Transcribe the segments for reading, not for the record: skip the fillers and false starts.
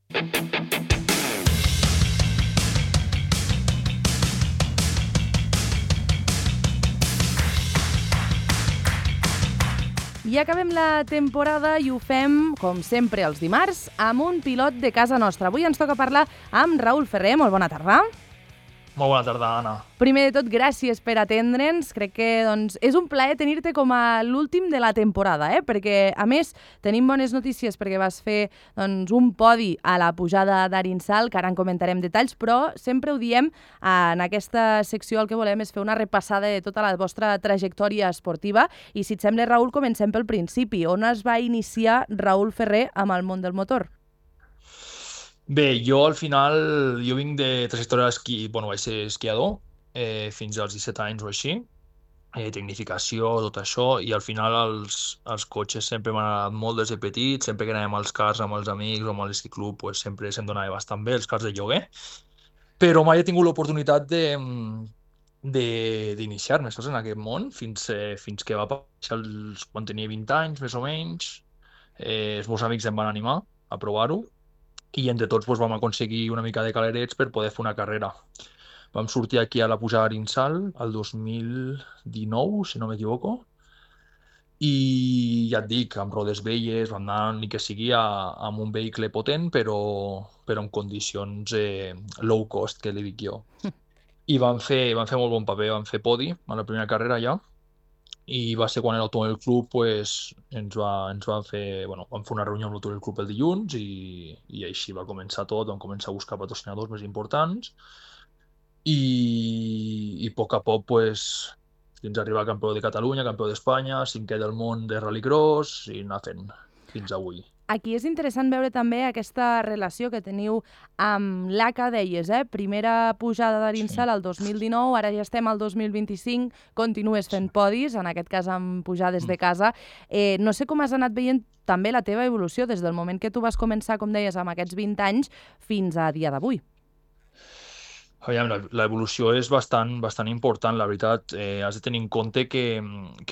I acabem la temporada i ho fem, com sempre, els dimarts, amb un pilot de casa nostra. Avui ens toca parlar amb Raül Ferrer. Molt bona tarda. Molt bona tarda, Anna. Primer de tot, gràcies per atendre'ns. Crec que és un plaer tenir-te com a l'últim de la temporada, perquè, a més, tenim bones notícies perquè vas fer un podi a la pujada d'Arinsal, que ara en comentarem detalls, però sempre ho diem, en aquesta secció el que volem és fer una repassada de tota la vostra trajectòria esportiva i, si et sembla, Raül, comencem pel principi. On es va iniciar Raül Ferrer amb el món del motor? Bé, jo al final, vinc de trajectòria d'esquí, vaig ser esquiador fins als 17 anys o així, tecnificació, tot això, i al final els cotxes sempre m'han agradat molt des de petit, sempre que anàvem als cars amb els amics o amb l'esquí club, sempre se'm donava bastant bé els cars de lloguer, però mai he tingut l'oportunitat d'iniciar-me en aquest món fins que va passar quan tenia 20 anys, més o menys. Els meus amics em van animar a provar-ho, i entre tots vam aconseguir una mica de calerets per poder fer una carrera. Vam sortir aquí a la pujada d'Arinsal el 2019, si no m'equivoco, i ja et dic, amb rodes velles, vam anar ni que sigui amb un vehicle potent, però en condicions low cost, que li dic jo. I vam fer molt bon paper, vam fer podi a la primera carrera ja, i va ser quan l'Automòbil Club ens va fer, vam fer una reunió amb l'Automòbil Club el dilluns i així va començar tot, vam començar a buscar patrocinadors més importants i a poc a poc fins a arribar a campió de Catalunya, campió d'Espanya, 5è del món de rallycross i anar fent fins avui. Aquí és interessant veure també aquesta relació que teniu amb l'ACA, deies, primera pujada d'Arinsal el 2019, ara ja estem al 2025, continues fent podis, en aquest cas amb pujades de casa. No sé com has anat veient també la teva evolució des del moment que tu vas començar, com deies, amb aquests 20 anys fins a dia d'avui. Aviam, l'evolució és bastant important, la veritat. Has de tenir en compte que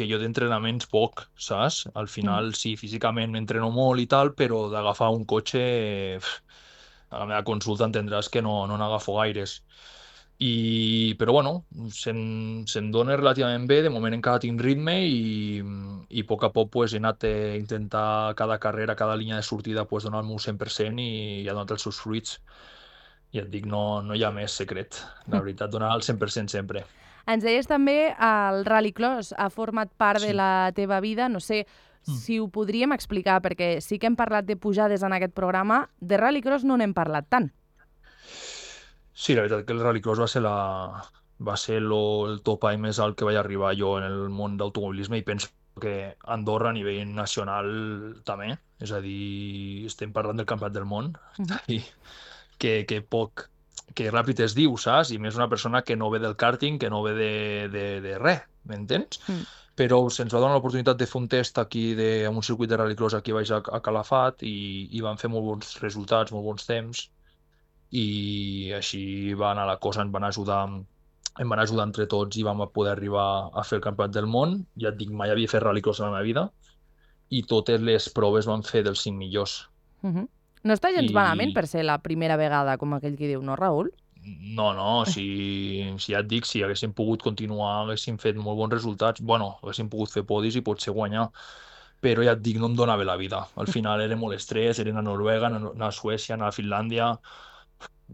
jo d'entrenaments poc, saps? Al final, sí, físicament m'entreno molt i tal, però d'agafar un cotxe, a la meva consulta entendràs que no n'agafo gaires. Però se'm dona relativament bé, de moment encara tinc ritme i a poc a poc he anat a intentar cada carrera, cada línia de sortida donar el meu 100% i ha donat els seus fruits. I et dic, no hi ha més secret. La veritat, donar el 100% sempre. Ens deies també el rallycross ha format part de la teva vida. No sé si ho podríem explicar, perquè sí que hem parlat de pujades en aquest programa. De rallycross no n'hem parlat tant. Sí, la veritat que el rallycross va ser el topall més alt que vaig arribar jo en el món d'automobilisme i penso que Andorra a nivell nacional també. És a dir, estem parlant del campionat del món. Que ràpid es diu, saps? I més una persona que no ve del karting, que no ve de res, m'entens? Però se'ns va donar l'oportunitat de fer un test aquí en un circuit de rallycross aquí baix a Calafat i vam fer molt bons resultats, molt bons temps i així va anar la cosa, em van ajudar entre tots i vam poder arribar a fer el campionat del món. Ja et dic, mai havia fet rallycross en la meva vida i totes les proves van fer dels 5 millors. No està gens malament per ser la primera vegada, com aquell qui diu, no, Raül? No, si ja et dic, si haguéssim pogut continuar, haguéssim fet molt bons resultats, haguéssim pogut fer podis i potser guanyar, però ja et dic, no em donava la vida. Al final era molt estrès, era anar a Noruega, anar a Suècia, anar a Finlàndia,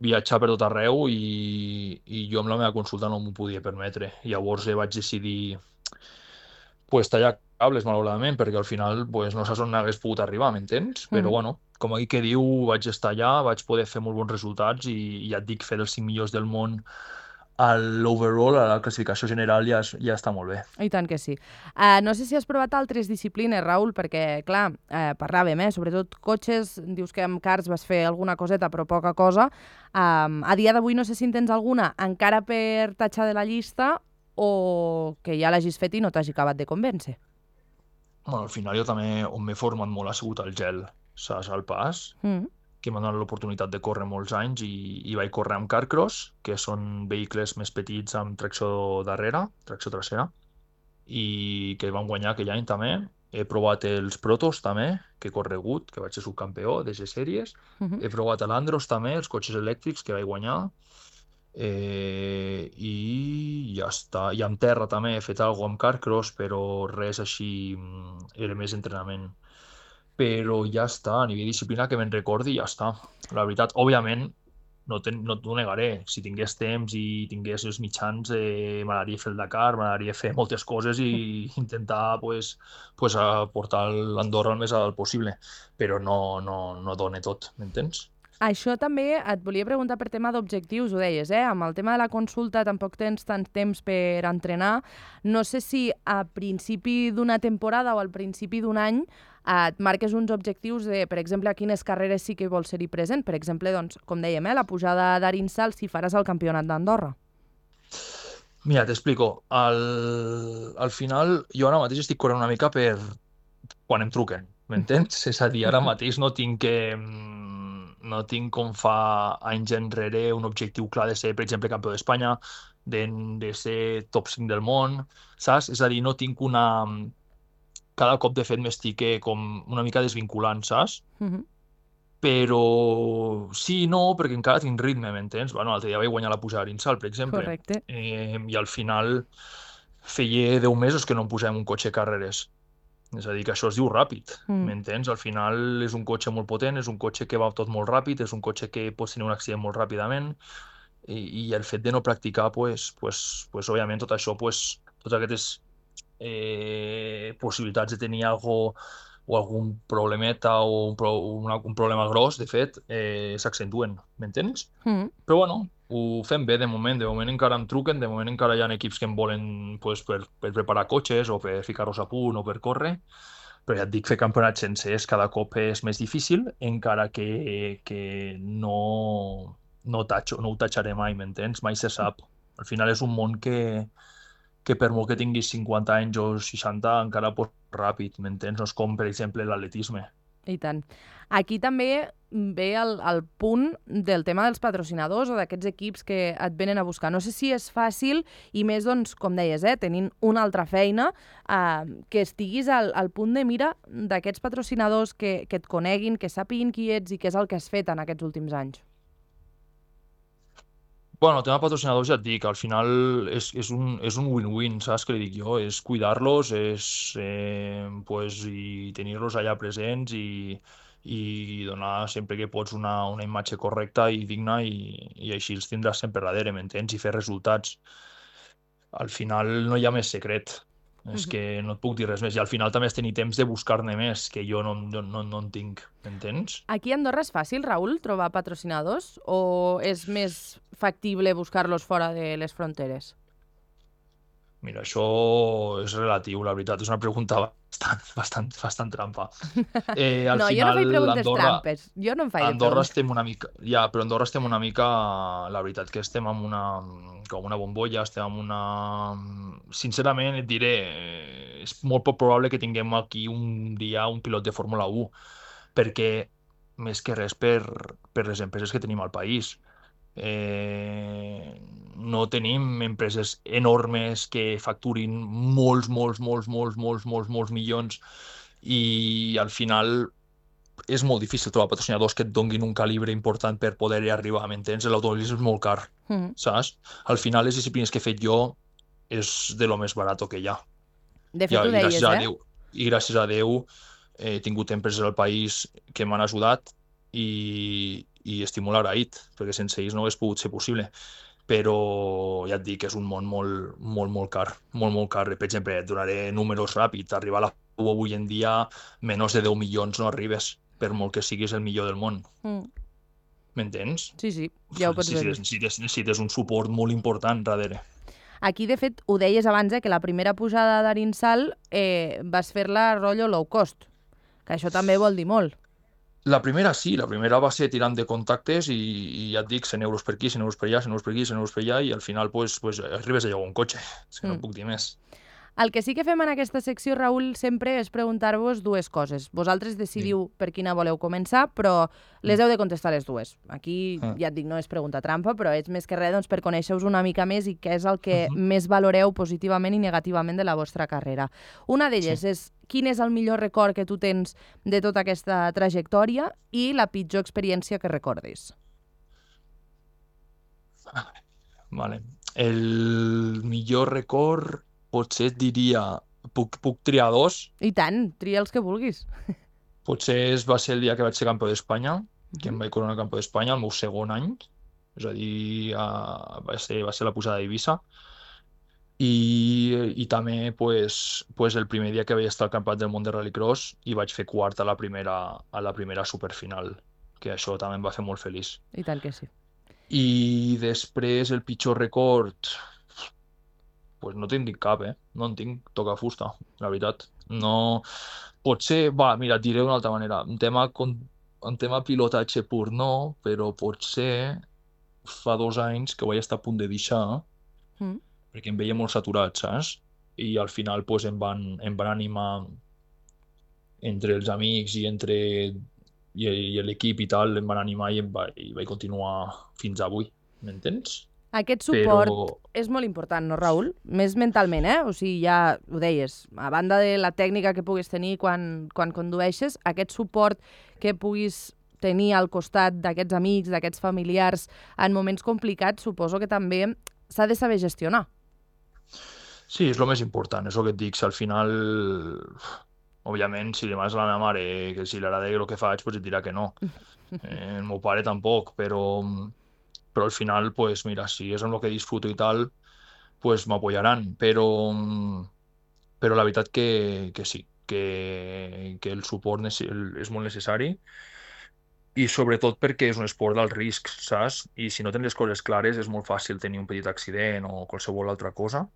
viatjar per tot arreu i jo amb la meva consulta no m'ho podia permetre. Llavors vaig decidir tallar cables, malauradament, perquè al final no saps on hagués pogut arribar, m'entens? Però com aquí que diu, vaig estar allà, vaig poder fer molt bons resultats i ja et dic, fer els 5 millors del món a l'overall, a la classificació general, ja està molt bé. I tant que sí. No sé si has provat altres disciplines, Raül, perquè, clar, parlàvem, sobretot cotxes, dius que amb cars vas fer alguna coseta, però poca cosa. A dia d'avui no sé si en tens alguna encara per tatxar de la llista o que ja l'hagis fet i no t'hagi acabat de convèncer. Al final jo també, on m'he format molt ha sigut el gel, saps, al pas, que m'ha donat l'oportunitat de córrer molts anys i vaig córrer amb carcross, que són vehicles més petits amb tracció darrera, tracció trasera, i que vam guanyar aquell any també, He provat els Protos també, que he corregut, que vaig ser subcampió de les sèries. He provat l'Andros també, els cotxes elèctrics que vaig guanyar. I ja està. I amb terra també he fet alguna cosa amb Carcross, però res així, era més entrenament. Però ja està, a nivell de disciplina que me'n recordi, ja està. La veritat, òbviament, no t'ho negaré. Si tingués temps i tingués els mitjans, m'agradaria fer el Dakar, m'agradaria fer moltes coses i intentar pues, portar l'Andorra el més alt possible. Però no dona tot, m'entens? Això també et volia preguntar per tema d'objectius, ho deies, Amb el tema de la consulta tampoc tens tant temps per entrenar. No sé si a principi d'una temporada o al principi d'un any et marques uns objectius de, per exemple, a quines carreres sí que vols ser-hi present. Per exemple, doncs, com dèiem, la pujada d'Arinsal, si faràs el campionat d'Andorra. Mira, t'explico. Al final, jo ara mateix estic corrent una mica per quan em truquen, m'entens? És a dir, ara mateix no tinc com fa anys enrere un objectiu clar de ser, per exemple, campió d'Espanya, de ser top 5 del món, saps? És a dir, no tinc una... Cada cop, de fet, m'estic com una mica desvinculant, saps? Però sí i no, perquè encara tinc ritme, m'entens? Bueno, l'altre dia vaig guanyar la pujada d'Arinsal, per exemple. Correcte. I al final feia 10 mesos que no em posàvem un cotxe de carreres. És a dir, que això es diu ràpid, m'entens? Al final és un cotxe molt potent, és un cotxe que va tot molt ràpid, és un cotxe que pots tenir un accident molt ràpidament i el fet de no practicar, pues, òbviament tot això, totes aquestes possibilitats de tenir algun problemeta o un problema gros, de fet, s'accentuen, m'entens? Però bueno, ho fem bé de moment encara em truquen, de moment encara hi ha equips que em volen pues, per preparar cotxes o per ficar-los a punt o per córrer, però ja et dic, fer campionats sencers cada cop és més difícil, encara que no ho tatxaré mai, m'entens? Mai se sap. Al final és un món que per molt que tinguis 50 anys o 60 encara pots ràpid, m'entens? No és com, per exemple, l'atletisme. I tant. Aquí també ve el punt del tema dels patrocinadors o d'aquests equips que et venen a buscar. No sé si és fàcil i més, doncs, com deies, tenint una altra feina, que estiguis al punt de mira d'aquests patrocinadors que et coneguin, que sàpiguin qui ets i què és el que has fet en aquests últims anys. Bueno, el tema de patrocinadors ja et dic, al final és un win-win, saps què li dic jo? És cuidar-los, i tenir-los allà presents i donar sempre que pots una imatge correcta i digna i així els tindràs sempre darrere, m'entens? I fer resultats. Al final no hi ha més secret. És que no et puc dir res més. I al final també has tenir temps de buscar-ne més, que jo no en tinc, m'entens? Aquí a Andorra és fàcil, Raül, trobar patrocinadors? O és més factible buscar-los fora de les fronteres? Mira, això és relatiu, la veritat. És una pregunta bastant trampa. Al no, final, jo no faig preguntes trampes. Jo no em faig Andorra estem una mica... Ja, però Andorra estem una mica... La veritat que estem amb una bombolla, estem amb una... Sincerament, et diré, és molt poc probable que tinguem aquí un dia un pilot de Fórmula 1, perquè més que res per les empreses que tenim al país. No tenim empreses enormes que facturin molts milions i al final és molt difícil trobar patrocinadors que et donguin un calibre important per poder-hi arribar, m'entens? L'automobilisme és molt car, saps? Al final les disciplines que he fet jo és de lo més barat que hi ha. De fet, ho deies, I gràcies a Déu he tingut empreses al país que m'han ajudat i estic molt agraït, perquè sense ells no hagués pogut ser possible. Però ja et dic que és un món molt car, molt car. Per exemple, et donaré números ràpids. Arribar a la F1 avui en dia, menys de 10 milions no arribes, per molt que siguis el millor del món. M'entens? Sí, ja ho pots veure. Necessites un suport molt important darrere. Aquí, de fet, ho deies abans, que la primera pujada d'Arinsal vas fer-la rotllo low cost, que això també vol dir molt. La primera sí, la primera va ser tirant de contactes i ja et dic, 100 euros per aquí, 100 euros per allà, 100 euros per aquí, 100 euros per allà i al final pues arribes a llogar un cotxe, és que no puc dir més. El que sí que fem en aquesta secció, Raül, sempre és preguntar-vos dues coses. Vosaltres decidiu per quina voleu començar, però les heu de contestar les dues. Aquí, ja et dic, no és pregunta trampa, però és més que res doncs, per conèixer-vos una mica més i què és el que més valoreu positivament i negativament de la vostra carrera. Una d'elles és quin és el millor record que tu tens de tota aquesta trajectòria i la pitjor experiència que recordis. Vale. El millor record potser et diria... Puc triar dos? I tant, tria els que vulguis. Potser va ser el dia que vaig ser campió d'Espanya, que em vaig coronar campió d'Espanya, el meu segon any. És a dir, va ser la pujada d'Eivissa. I també el primer dia que vaig estar al Campionat del Món de Rallycross i vaig fer quart a la primera superfinal, que això també em va fer molt feliç. I tant que sí. I després el pitjor record... Pues no te'n dic cap, no en tinc, toca fusta, la veritat. No... Potser, mira, et diré d'una altra manera. En tema pilotatge pur no, però potser fa 2 anys que ho vaig estar a punt de deixar perquè em veia molt saturat, saps? I al final pues, em van animar entre els amics i l'equip i tal, em van animar i vaig continuar fins avui, m'entens? Aquest suport és molt important, no, Raül? Més mentalment, O sigui, ja ho deies, a banda de la tècnica que puguis tenir quan condueixes, aquest suport que puguis tenir al costat d'aquests amics, d'aquests familiars, en moments complicats, suposo que també s'ha de saber gestionar. Sí, és el més important, és el que et dic, si al final... Òbviament, si demanes a la meva mare que si li agrada el que faig, pues et dirà que no. El meu pare tampoc, però al final, pues mira, si és amb el que disfruto i tal, pues m'apoyaran, però la veritat que sí, que el suport és molt necessari i sobretot perquè és un esport d'alt risc, saps? I si no tens les coses clares és molt fàcil tenir un petit accident o qualsevol altra cosa.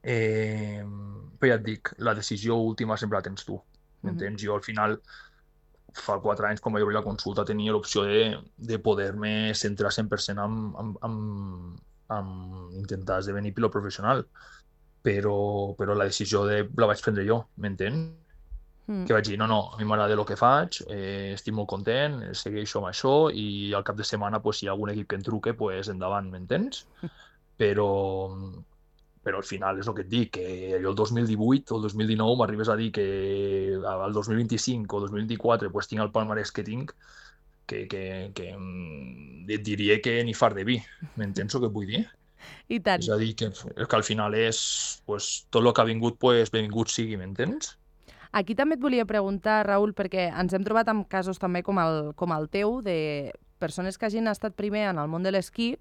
Però ja et dic, la decisió última sempre la tens tu, m'entens? Jo al final fa 4 anys, quan vaig obrir la consulta, tenia l'opció de poder-me centrar 100% en intentar esdevenir pilot professional. Però la decisió la vaig prendre jo, m'entens? Que vaig dir, no, a mi m'agrada el que faig, estic molt content, segueixo amb això i al cap de setmana, si hi ha algun equip que em truque, endavant, m'entens? Però al final és el que et dic, que jo el 2018 o el 2019 m'arribes a dir que al 2025 o 2024 tinc el palmarès que tinc, que et diria que ni far de vi, m'entens el que vull dir? I tant. És a dir, que al final és tot el que ha vingut, benvingut sigui, m'entens? Aquí també et volia preguntar, Raül, perquè ens hem trobat amb casos també com el teu, de persones que hagin estat primer en el món de l'esquí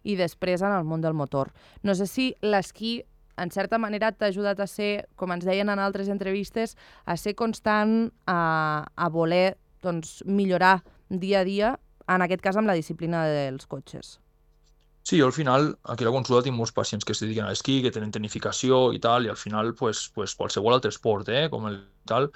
i després en el món del motor. No sé si l'esquí, en certa manera, t'ha ajudat a ser, com ens deien en altres entrevistes, a ser constant, a voler millorar dia a dia, en aquest cas amb la disciplina dels cotxes. Sí, jo al final, aquí a la consulta tinc molts pacients que es dediquen a l'esquí, que tenen tecnificació i tal, i al final, qualsevol altre esport, com el tal,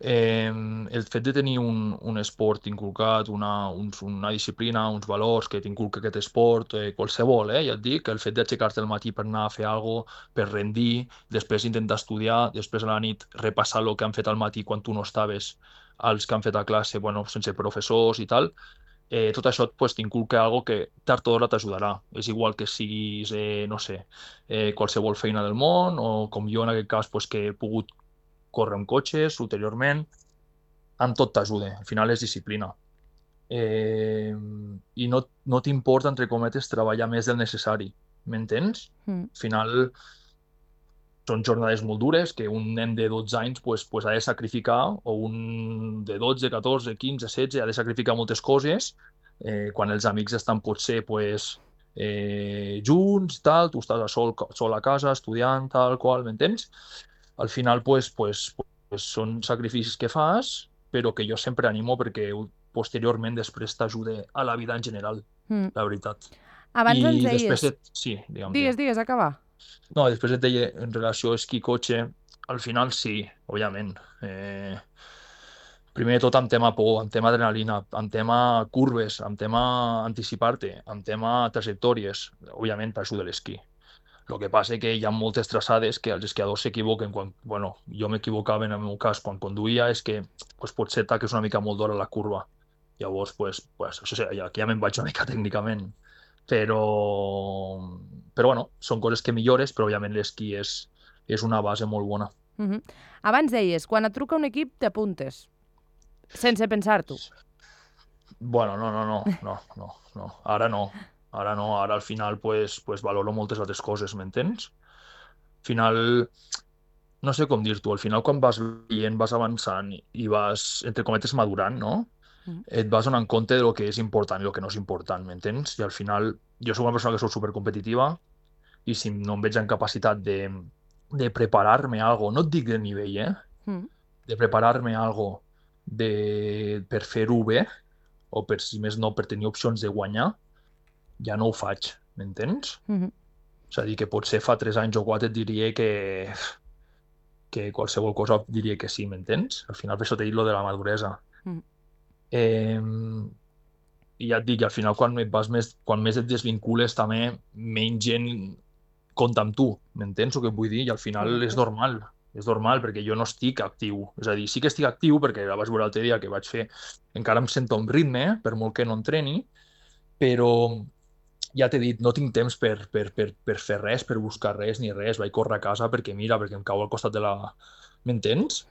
el fet de tenir un esport inculcat, una disciplina, uns valors que t'inculca aquest esport, qualsevol, ja et dic, el fet d'aixecar-te al matí per anar a fer alguna cosa, per rendir, després intentar estudiar, després a la nit repassar el que han fet al matí quan tu no estaves, els que han fet a classe, sense professors i tal, tot això t'inculca alguna cosa que tard o d'hora t'ajudarà. És igual que siguis, no sé, qualsevol feina del món, o com jo en aquest cas, que he pogut córrer amb cotxes ulteriorment, amb tot t'ajuda. Al final és disciplina. I no t'importa, entre cometes, treballar més del necessari. M'entens? Al final són jornades molt dures que un nen de 12 anys ha de sacrificar, o un de 12, 14, 15, 16 ha de sacrificar moltes coses, quan els amics estan potser junts i tal, tu estàs sol a casa estudiant, tal qual, m'entens? Al final són sacrificis que fas, però que jo sempre animo perquè posteriorment després t'ajuda a la vida en general, la veritat. Abans ens deies... Sí, digue'm. Digues, acaba. No, després et deia, en relació a esquí-cotxe, al final sí, òbviament. Primer de tot amb tema por, amb tema adrenalina, amb tema curves, amb tema anticipar-te, amb tema trajectòries, òbviament t'ajuda l'esquí. El que passa que hi ha moltes traçades que els esquiadors s'equivoquen quan, bueno, jo m'equivocava en el meu cas quan conduïa, és que pues, potser taques una mica molt d'hora la curva. Llavors, això sí, aquí ja me'n vaig una mica tècnicament. Però, però bueno, són coses que millores, però òbviament l'esquí és una base molt bona. Abans deies, quan et truca un equip t'apuntes, sense pensar-t'ho. Bueno, no. Ara no. Ara al final pues valoro moltes altres coses, m'entens? Al final, no sé com dir-t'ho, al final quan vas veient, vas avançant i vas, entre cometes, madurant, no? Et vas donant compte de lo que és important i el que no és important, m'entens? I al final, jo soc una persona que soc supercompetitiva i si no em veig en capacitat de preparar-me algo, no et dic de nivell, de preparar-me algo per fer-ho bé, o per, si més no, per tenir opcions de guanyar, ja no ho faig, m'entens? És a dir, que potser fa 3 anys o 4 et diria que qualsevol cosa diria que sí, m'entens? Al final per això t'he dit lo de la maduresa. I ja et dic, al final quan més et desvincules també menys gent compta amb tu, m'entens el que vull dir? I al final és normal, perquè jo no estic actiu. És a dir, sí que estic actiu perquè la vaig veure l'altre dia que vaig fer, encara em sento amb ritme, per molt que no entreni, però ja t'he dit, no tinc temps per fer res, per buscar res ni res. Vaig córrer a casa perquè em cau al costat de la... M'entens?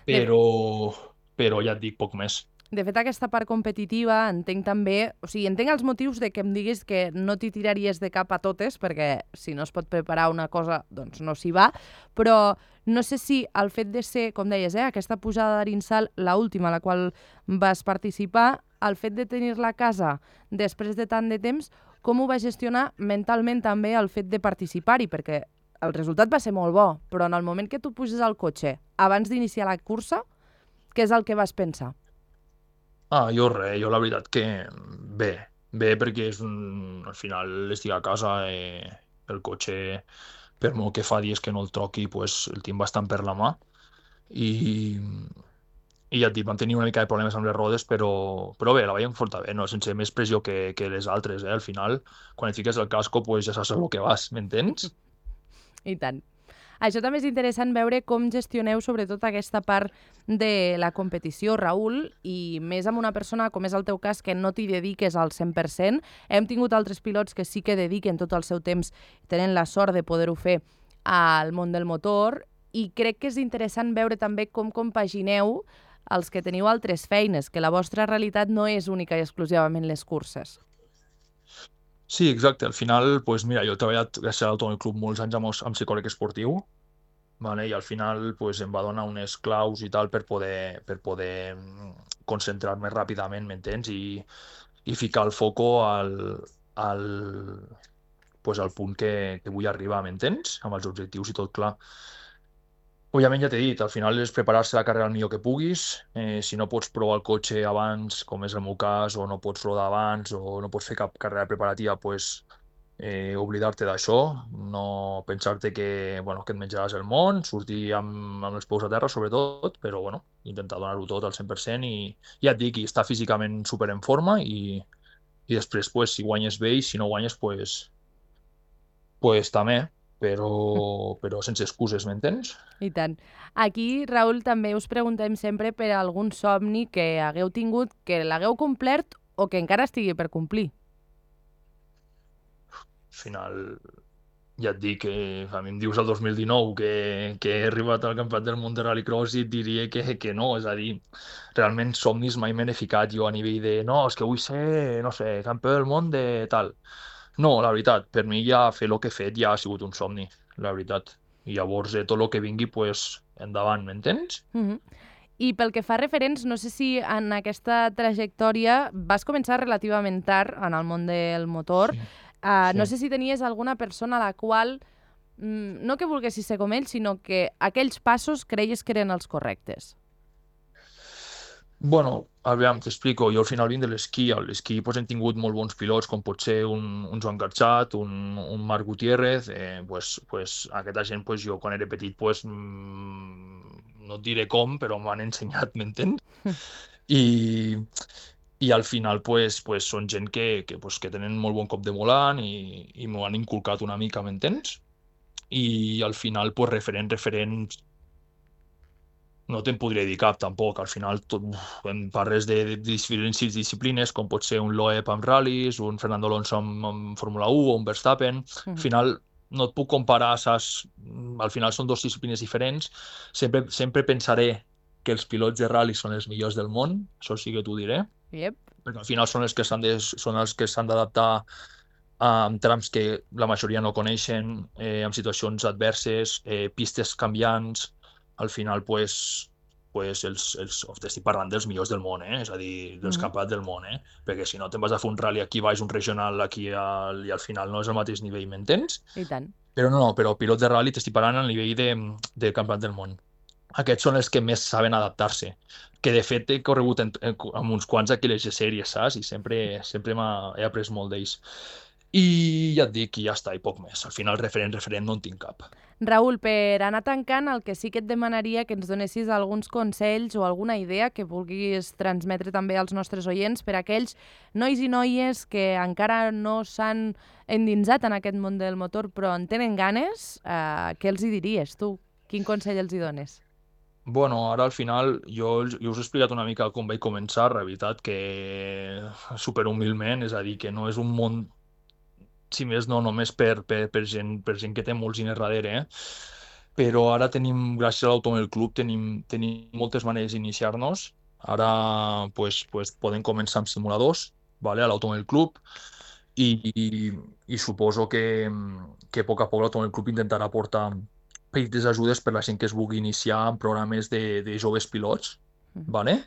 Però ja et dic, poc més. De fet, aquesta part competitiva entenc també... O sigui, entenc els motius de que em diguis que no t'hi tiraries de cap a totes, perquè si no es pot preparar una cosa, doncs no s'hi va, però no sé si el fet de ser, com deies, aquesta pujada d'Arinsal, l'última a la qual vas participar, el fet de tenir-la a casa després de tant de temps, com ho vas gestionar mentalment també el fet de participar-hi? Perquè el resultat va ser molt bo, però en el moment que tu puges al cotxe, abans d'iniciar la cursa, què és el que vas pensar? Jo la veritat que bé, perquè al final estic a casa, el cotxe, per molt que fa dies que no el troqui, pues, el tinc bastant per la mà i ja et dic, vam tenir una mica de problemes amb les rodes, però bé, la vaig enfortar bé, no? Sense més pressió que les altres, Al final, quan et fiques el casco, pues, ja saps el que vas, m'entens? I tant. Això també és interessant veure com gestioneu sobretot aquesta part de la competició, Raül, i més amb una persona, com és el teu cas, que no t'hi dediques al 100%. Hem tingut altres pilots que sí que dediquen tot el seu temps, tenen la sort de poder-ho fer al món del motor, i crec que és interessant veure també com compagineu els que teniu altres feines, que la vostra realitat no és única i exclusivament les curses. Sí, exacte. Al final, pues mira, jo he treballat gràcies a l'Automòbil Club molts anys amb psicòleg esportiu, vale? I al final pues, em va donar unes claus i tal per poder concentrar-me ràpidament, m'entens? I ficar el foco al punt que vull arribar, m'entens? Amb els objectius i tot clar. Òbviament ja t'he dit, al final és preparar-se la carrera el millor que puguis. Si no pots provar el cotxe abans, com és el meu cas, o no pots rodar abans, o no pots fer cap carrera preparativa, pues, oblidar-te d'això, no pensar-te que et menjaràs el món, sortir amb els peus a terra, sobretot, però intentar donar-ho tot al 100% i ja et dic, estar físicament super en forma i després, pues, si guanyes bé i si no guanyes, pues també, però sense excuses, m'entens? I tant. Aquí, Raül, també us preguntem sempre per algun somni que hagueu tingut, que l'hagueu complert o que encara estigui per complir. Al final, ja et dic que a mi em dius el 2019 que he arribat al Campionat del Món de Rallycross i et diria que no, és a dir, realment somnis mai me n'he ficat jo a nivell de no, és que vull ser, no sé, campió del món de tal. No, la veritat, per mi ja fer el que he fet ja ha sigut un somni, la veritat. I llavors tot el que vingui, pues, endavant, m'entens? I pel que fa referents, no sé si en aquesta trajectòria vas començar relativament tard en el món del motor. Sí. No sé si tenies alguna persona a la qual, no que volguessis ser com ell, sinó que aquells passos creies que eren els correctes. Bueno, aviam, t'explico. Jo al final vinc de l'esquí. A l'esquí pues, hem tingut molt bons pilots, com pot ser un Joan Carxat, un Marc Gutiérrez. Aquesta gent, pues, jo quan era petit, pues, no et diré com, però m'han ensenyat, m'entens? I al final pues, són gent que tenen molt bon cop de volant i m'ho han inculcat una mica, m'entens? i al final, pues, referents, no te'n podria dir cap, tampoc. Al final, em parles de diferents disciplines, com pot ser un Loeb amb ral·lis, un Fernando Alonso amb Fórmula 1 o un Verstappen. Al final, no et puc comparar, saps? Al final són dues disciplines diferents. Sempre pensaré que els pilots de ral·li són els millors del món, això sí que t'ho diré. Yep. Perquè al final són els que s'han d'adaptar a trams que la majoria no coneixen, en situacions adverses, pistes canviants. Al final, estic parlant dels millors del món, és a dir, dels campionats del món, perquè si no te'n vas a fer un rally aquí baix, un regional aquí, i al final no és el mateix nivell, m'entens? I tant. Però no, però pilots de rally t'estic parlant a nivell de campionat del món. Aquests són els que més saben adaptar-se, que de fet he corregut amb uns quants aquí les sèries, saps? I sempre he après molt d'ells. I ja et dic, i ja està, i poc més. Al final, referent, no en tinc cap. Raül, per anar tancant, el que sí que et demanaria que ens donessis alguns consells o alguna idea que vulguis transmetre també als nostres oients per a aquells nois i noies que encara no s'han endinsat en aquest món del motor però en tenen ganes, què els hi diries tu? Quin consell els hi dones? Bueno, ara al final jo us he explicat una mica com vaig començar, la veritat que superhumilment, és a dir, que no és un món, si més no, només per gent que té molts diners darrere, però ara tenim, gràcies a l'Automòbil Club, tenim moltes maneres d'iniciar-nos. Ara podem començar amb simuladors, vale, a l'Automòbil Club, i suposo que a poc l'Automòbil Club intentarà portar petites ajudes per la gent que es vulgui iniciar en programes de joves pilots, vale?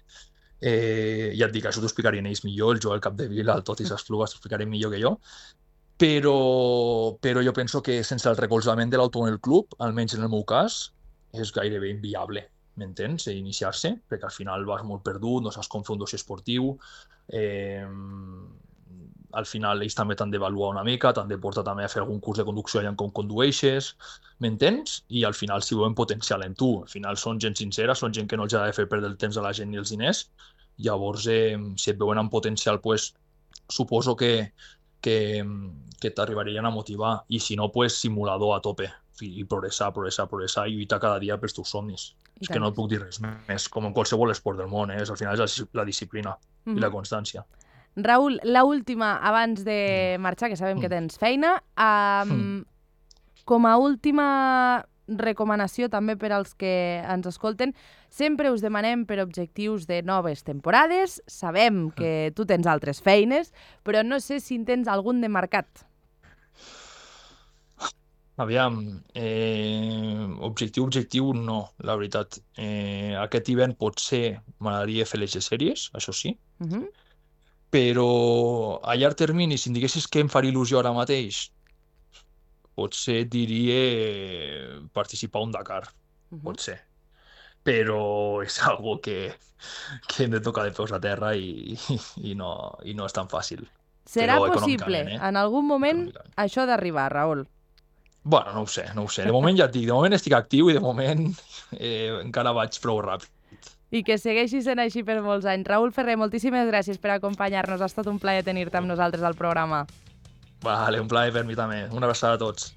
Ja et dic, això t'ho explicarien ells millor, el Joel Capdevila, el Totis Esplugas, t'ho explicaré millor que jo, però jo penso que sense el recolzament de l'Automòbil Club, almenys en el meu cas, és gairebé inviable, m'entens? Iniciar-se, perquè al final vas molt perdut, no saps com fer un dossier esportiu, al final ells també t'han d'avaluar una mica, t'han de portar també a fer algun curs de conducció allà com condueixes, m'entens? I al final si veuen potencial en tu. Al final són gent sincera, són gent que no els ha de fer perdre el temps a la gent ni els diners. Llavors, si et veuen amb potencial, suposo que t'arribarien a motivar. I si no, simulador a tope. I progressar, i lluitar cada dia pels teus somnis. És que no et puc dir res més, com en qualsevol esport del món, al final és la disciplina i la constància. Raül, l'última, abans de marxar, que sabem que tens feina, com a última recomanació també per als que ens escolten, sempre us demanem per objectius de noves temporades, sabem que tu tens altres feines, però no sé si en tens algun de marcat. Aviam, objectiu no, la veritat. Aquest hivern potser m'agradaria fer les sèries, això sí, però a llarg termini, si em diguessis què em faria il·lusió ara mateix, potser diria participar a un Dakar, potser. Però és algo que hem de tocar de peus a terra i no és tan fàcil. Serà possible, en algun moment, això d'arribar, Raül? Bueno, no ho sé. De moment ja et dic, de moment estic actiu i de moment encara vaig prou ràpid. I que segueixi sent així per molts anys. Raül Ferrer, moltíssimes gràcies per acompanyar-nos. Ha estat un plaer tenir-te amb nosaltres al programa. Vale, un plaer per mi també. Una abraçada a tots.